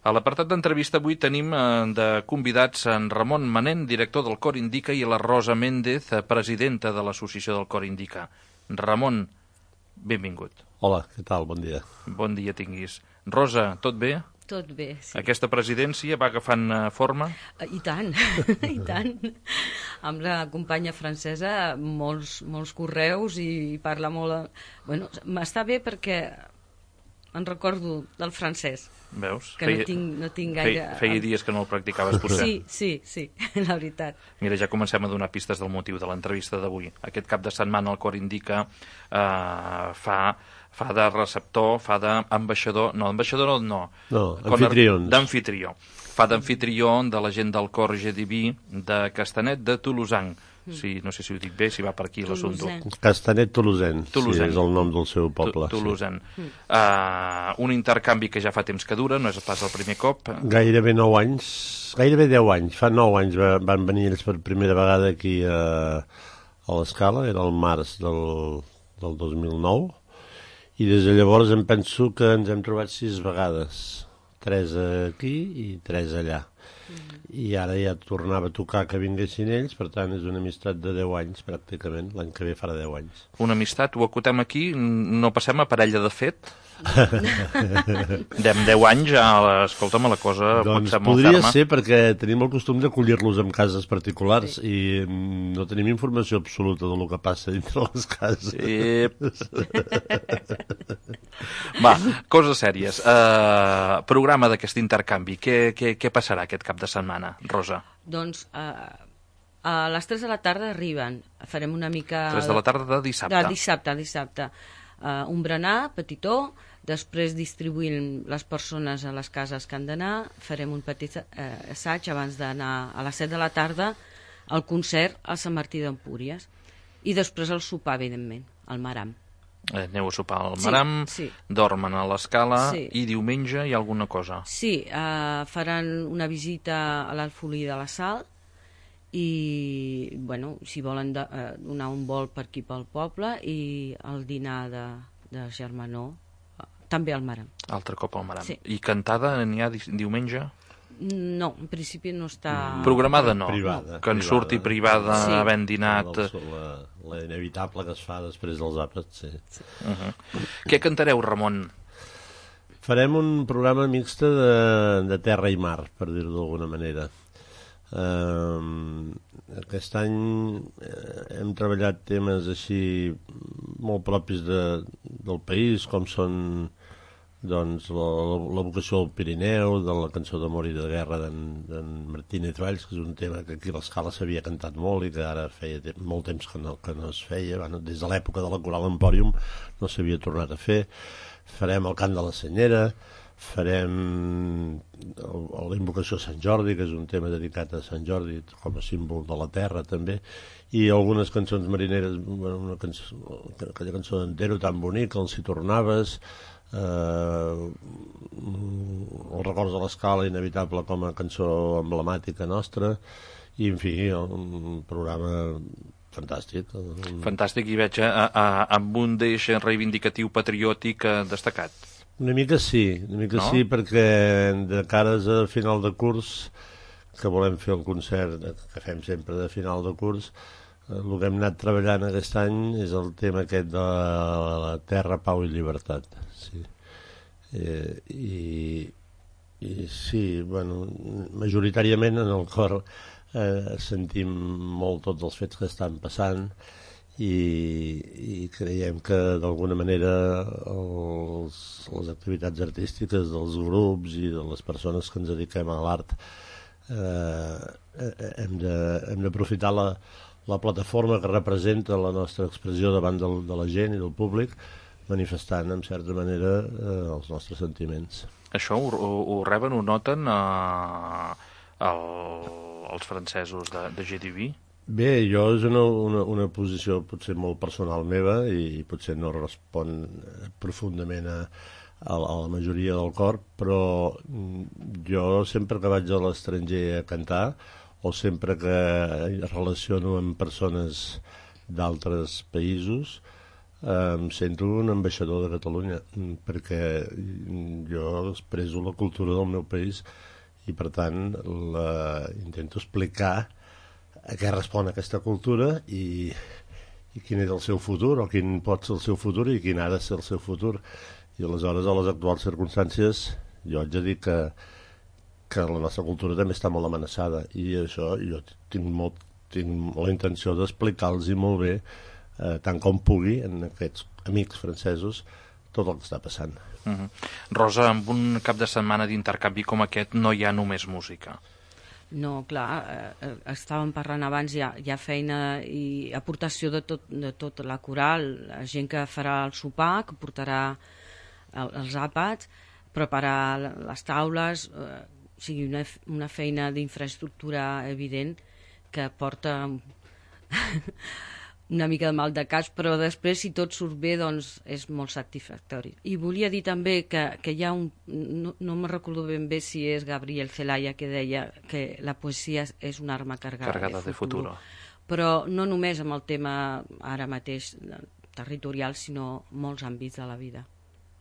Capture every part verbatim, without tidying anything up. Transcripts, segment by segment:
A l'apartat d'entrevista avui tenim de convidats en Ramon Manent, director del Cor Indica, i la Rosa Méndez, presidenta de l'Associació del Cor Indica. Ramon, benvingut. Hola, què tal? Bon dia. Bon dia tinguis. Rosa, tot bé? Tot bé, sí. Aquesta presidència va agafant forma? I tant, i tant. Amb la companya francesa, molts, molts correus i parla molt... Bueno, m'està bé perquè en recordo del francès. Veus? Que feia, no, tinc, no tinc gaire... Feia, feia dies que no el practicaves, potser. Sí, sí, sí, la veritat. Mira, ja comencem a donar pistes del motiu de l'entrevista d'avui. Aquest cap de setmana el Cor Indica eh, fa... fa de receptor, fa d'ambaixador... No, ambaixador no. No, anfitrions. D'anfitrió. Fa d'anfitrió de la gent del Cor Gediví de Castanet de Tolosanc. Sí, no sé si ho dic bé, si va per aquí l'assumpte. Castanet Tolosanc, sí, és el nom del seu poble. Tolosanc. Sí. Uh, un intercanvi que ja fa temps que dura, no és pas el primer cop. Gairebé nou anys, gairebé deu anys. Fa nou anys van venir ells per primera vegada aquí a, a l'Escala, era el març del, del dos mil nou, i des de llavors em penso que ens hem trobat sis vegades, tres aquí i tres allà. I ara ja tornava a tocar que vinguessin ells, per tant és una amistat de deu anys pràcticament, l'any que ve farà deu anys. Una amistat, ho acotem aquí, no passem a parella de fet? Dem deu anys, ja, escolta'm, la cosa doncs pot ser molt ferma. Podria ser, perquè tenim el costum d'acollir-los en cases particulars, sí. I no tenim informació absoluta del que passa dintre les cases. Sí. Va, coses sèries. Uh, programa d'aquest intercanvi, què, què, què passarà aquest cap de setmana, Rosa? Doncs uh, a les tres de la tarda arriben, farem una mica... tres de la tarda de dissabte. De dissabte, dissabte. Uh, un berenar petitó, després distribuïm les persones a les cases que han d'anar, farem un petit uh, assaig abans d'anar a les set de la tarda al concert a Sant Martí d'Empúries i després el sopar, evidentment, al Maram. Eh, aneu a sopar al Maram, sí, sí. Dormen a l'Escala, sí. I diumenge hi ha alguna cosa? Sí, uh, faran una visita a l'Alfolí de la Sal i, bueno, si volen de, uh, donar un vol per aquí pel poble i el dinar de, de Germanó, uh, també al Maram. Altre cop al Maram. Sí. I cantada n'hi ha di diumenge? No, en principi no està... Programada no, privada, que en privada. surti privada, sí. Havent dinat... La, la inevitable que es fa després dels àpats, sí. sí. Uh -huh. Què cantareu, Ramon? Farem un programa mixte de, de terra i mar, per dir-ho d'alguna manera. Uh, aquest any uh, hem treballat temes així molt propis de, del país, com són doncs, la, la vocació del Pirineu, de la cançó d'amor i de guerra d'en Martínez Valls, que és un tema que aquí a l'Escala s'havia cantat molt i que ara feia te molt temps que no, que no es feia. Bueno, des de l'època de la Coral Empòrium no s'havia tornat a fer. Farem el cant de la Senyera, farem la invocació a Sant Jordi, que és un tema dedicat a Sant Jordi com a símbol de la terra també, i algunes cançons marineres, una cançó, aquella cançó d'Entero tan bonica, el Si tornaves, eh, els records de l'Escala, inevitable com a cançó emblemàtica nostra, i en fi, un programa fantàstic. Fantàstic, i veig a, a, amb un deix reivindicatiu patriòtic destacat. Una mica sí, una mica no? sí, perquè de cares a final de curs, que volem fer el concert que fem sempre de final de curs, el que hem anat treballant aquest any és el tema aquest de la terra, pau i llibertat. Sí. Eh, i, i sí, bueno, majoritàriament en el cor eh, sentim molt tots els fets que estan passant, i, i creiem que d'alguna manera els, les activitats artístiques dels grups i de les persones que ens dediquem a l'art eh, hem d'aprofitar la, la plataforma que representa la nostra expressió davant del, de la gent i del públic, manifestant en certa manera eh, els nostres sentiments. Això ho, ho, ho reben, ho noten eh, el, els francesos de, de Gediví? Bé, jo és una, una, una posició potser molt personal meva i potser no respon profundament a, a la majoria del cor, però jo sempre que vaig a l'estranger a cantar o sempre que relaciono amb persones d'altres països, em sento un ambaixador de Catalunya, perquè jo expresso la cultura del meu país i, per tant, la, intento explicar a què respon aquesta cultura i, i quin és el seu futur, o quin pot ser el seu futur i quin ha de ser el seu futur. I aleshores, a les actuals circumstàncies, jo haig de dir que, que la nostra cultura també està molt amenaçada, i això jo tinc, molt, tinc la intenció d'explicar-los molt bé, eh, tant com pugui, en aquests amics francesos, tot el que està passant. Uh-huh. Rosa, amb un cap de setmana d'intercanvi com aquest no hi ha només música. No, clar, eh, estàvem parlant abans, hi ha, hi ha feina i aportació de tot, de tot la coral, la gent que farà el sopar, que portarà el, els àpats, preparar les taules, eh, o sigui, una, una feina d'infraestructura evident que porta una mica de mal de cas, però després, si tot surt bé, doncs és molt satisfactori. I volia dir també que, que hi ha un... No, no me recordo ben bé si és Gabriel Celaya que deia que la poesia és una arma cargada, cargada de, futuro. de futuro. Però no només amb el tema ara mateix territorial, sinó molts àmbits de la vida.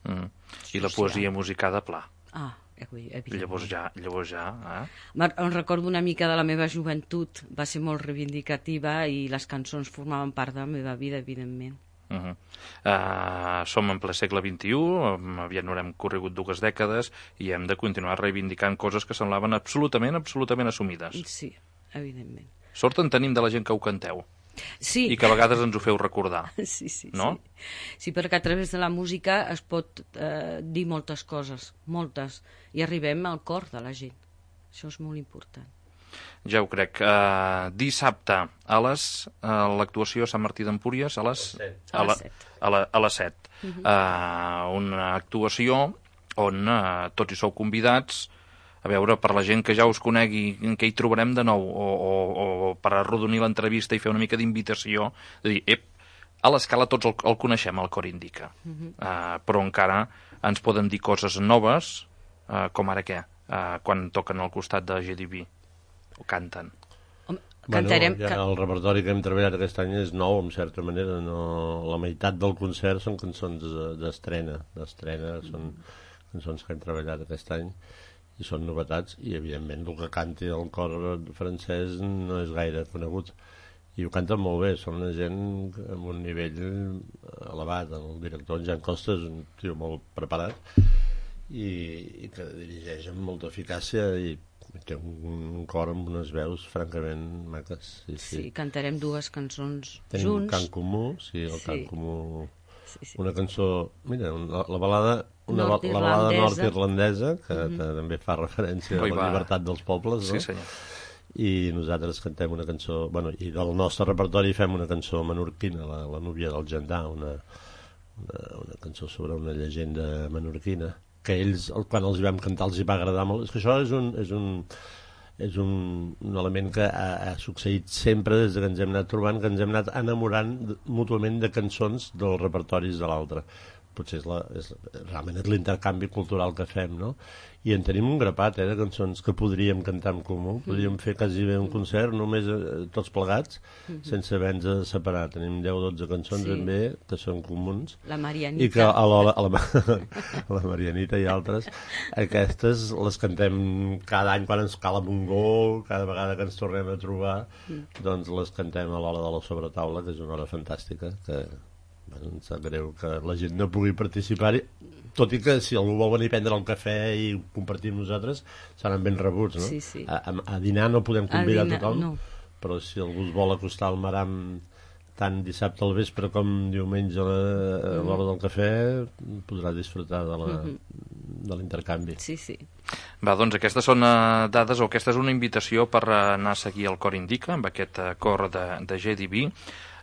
Mm. I la poesia musicada, pla. Ah, evidentment. Llavors ja, llavors ja eh? Em recordo una mica de la meva joventut, va ser molt reivindicativa i les cançons formaven part de la meva vida, evidentment. Uh -huh. uh, som en ple segle vint-i-u, aviat no haurem corregut dues dècades i hem de continuar reivindicant coses que semblaven absolutament, absolutament assumides. Sí, evidentment. Sort en tenim de la gent que ho canteu. Sí. I que a vegades ens ho feu recordar. Sí, sí, no? sí. Sí, perquè a través de la música es pot eh, dir moltes coses, moltes, i arribem al cor de la gent. Això és molt important. Ja ho crec. Uh, dissabte a les uh, l'actuació a Sant Martí d'Empúries a les a les set. A, la, a les set. Uh -huh. uh, una actuació on uh, tots hi sou convidats. A veure, per la gent que ja us conegui, què hi trobarem de nou, o, o, o per arrodonir l'entrevista i fer una mica d'invitació, de dir, ep, a l'escala tots el, el coneixem, el Cor Indica, uh -huh. uh, però encara ens poden dir coses noves, uh, com ara què, uh, quan toquen al costat de G D B, o canten. Cantarem... Bueno, ja el repertori que hem treballat aquest any és nou, en certa manera. No... La meitat del concert són cançons d'estrena, d'estrena, són cançons que hem treballat aquest any, i són novetats, i evidentment el que canti el cor francès no és gaire conegut, i ho canten molt bé, són una gent amb un nivell elevat. El director, en Jan Costa, és un tio molt preparat i, i que dirigeix amb molta eficàcia i té un, un cor amb unes veus francament maques. Sí, sí. sí cantarem dues cançons Tenim junts. Tenim un cant comú, sí, el sí. cant comú, sí, sí. una cançó, mira, la, la balada una la balada nord-irlandesa que uh -huh. també fa referència Oi, a la va. llibertat dels pobles, no? Sí, senyor. I nosaltres cantem una cançó, bueno, i del nostre repertori fem una cançó menorquina, la, la núvia del Gendà, una, una, una cançó sobre una llegenda menorquina, que ells, quan els hi vam cantar, els hi va agradar molt. És que això és un, és un, és un, un element que ha, ha succeït sempre des que ens hem anat trobant, que ens hem anat enamorant mútuament de cançons dels repertoris de l'altre. Potser és la, és, realment és l'intercanvi cultural que fem, no? I en tenim un grapat, eh, de cançons que podríem cantar en comú, podríem fer quasi bé un concert només eh, tots plegats, uh -huh. sense haver-nos de separar. Tenim deu o dotze cançons sí. ben bé que són comuns. La Marianita. I que a la, a la, a la Marianita i altres, aquestes les cantem cada any quan ens cal un gol, cada vegada que ens tornem a trobar, mm. doncs les cantem a l'hora de la sobretaula, que és una hora fantàstica, que bueno, em sap greu que la gent no pugui participar-hi, tot i que si algú vol venir a prendre el cafè i compartir amb nosaltres seran ben rebuts, no? Sí, sí. A, a, a dinar no podem convidar a, dinar, a tothom, no. però si algú es vol acostar al Maram tant dissabte al vespre com diumenge a l'hora del cafè, podrà disfrutar de la, mm-hmm. de l'intercanvi. Sí, sí. Va, doncs aquestes són uh, dades, o aquesta és una invitació per uh, anar a seguir el Cor Indica, amb aquest uh, cor de, de G D B.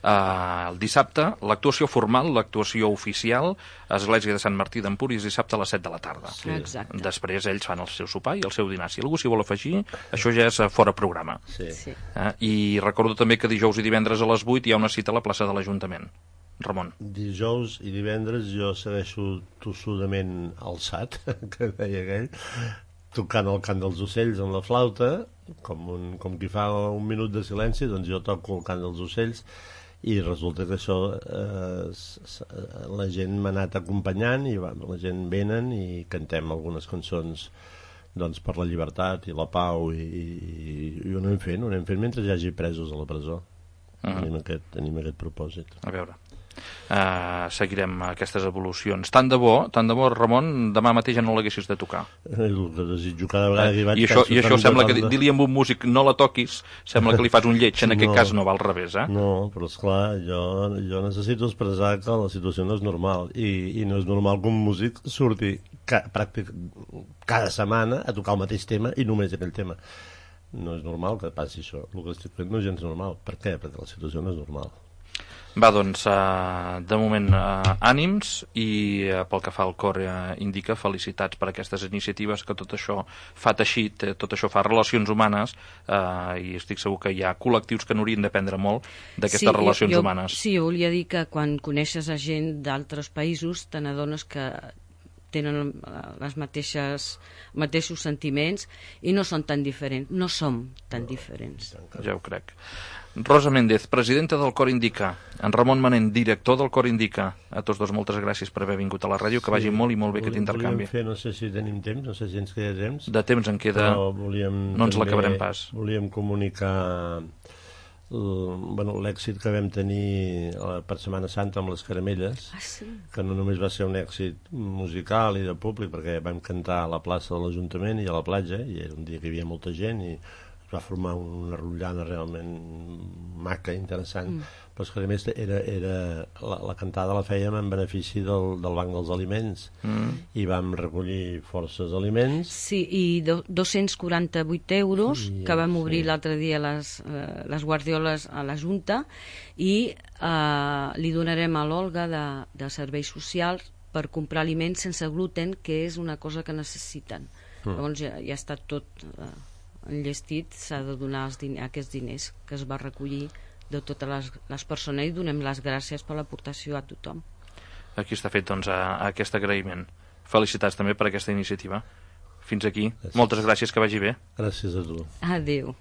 Uh, el dissabte, l'actuació formal, l'actuació oficial, a Església de Sant Martí d'Empúries, dissabte a les set de la tarda. Sí. Exacte. Després ells fan el seu sopar i el seu dinar. Si algú s'hi vol afegir, això ja és fora programa. Sí. Sí. Uh, I recordo també que dijous i divendres a les vuit hi ha una cita a la plaça de l'Ajuntament. Ramon. Dijous i divendres jo segueixo tossudament alçat, que deia aquell, tocant el cant dels ocells amb la flauta, com, un, com qui fa un minut de silenci, doncs jo toco el cant dels ocells, i resulta que això eh, la gent m'ha anat acompanyant i va, la gent venen i cantem algunes cançons doncs, per la llibertat i la pau i, i, i ho anem fent, ho anem fent mentre hi hagi presos a la presó. Uh-huh. tenim, aquest, tenim aquest propòsit. A veure, uh, seguirem aquestes evolucions. Tant de bo, tant de bo, Ramon, demà mateix ja no l'haguessis de tocar. El que desitjo cada vegada que hi vaig... I això, i això sembla que dir-li amb un músic no la toquis, sembla que li fas un lleig, en aquest no, cas no va al revés, eh? No, però esclar, jo, jo necessito expressar que la situació no és normal i, i no és normal que un músic surti ca, pràctic, cada setmana a tocar el mateix tema i només aquell tema. No és normal que passi això. El que estic fent no és gens normal. Per què? Perquè la situació no és normal. Va, doncs, uh, de moment, uh, ànims i uh, pel que fa al cor uh, indica felicitats per aquestes iniciatives, que tot això fa teixit, tot això fa relacions humanes uh, i estic segur que hi ha col·lectius que n'haurien d'aprendre molt d'aquestes sí, relacions jo, humanes. Sí, jo volia dir que quan coneixes a gent d'altres països te n'adones que tenen les mateixes mateixos sentiments i no són tan diferents, no som tan diferents. Ja ho crec. Rosa Méndez, presidenta del Cor Indica, en Ramon Manent, director del Cor Indica, a tots dos moltes gràcies per haver vingut a la ràdio, que sí, vagi molt i molt bé aquest intercanvi. Fer, no sé si tenim temps, no sé si ens queda temps. De temps en queda, no ens l'acabarem pas. Volíem comunicar bueno, l'èxit que vam tenir per Setmana Santa amb les caramelles, ah, sí? que no només va ser un èxit musical i de públic, perquè vam cantar a la plaça de l'Ajuntament i a la platja, i era un dia que hi havia molta gent i es va formar una rotllana realment maca, interessant. Mm. Però és que a més era, era, la, la cantada la fèiem en benefici del, del Banc dels Aliments mm. i vam recollir forces aliments. Sí, i do, dos-cents quaranta-vuit euros sí, que vam obrir sí. l'altre dia les, eh, les guardioles a la Junta i eh, li donarem a l'Olga de, de Serveis Socials per comprar aliments sense gluten, que és una cosa que necessiten. Mm. Llavors ja, ja està tot eh, enllestit, s'ha de donar els din- aquests diners que es va recollir de totes les, les persones i donem les gràcies per l'aportació a tothom. Aquí està fet doncs, a, a aquest agraïment. Felicitats també per aquesta iniciativa. Fins aquí. Gràcies. Moltes gràcies, que vagi bé. Gràcies a tu. Adéu.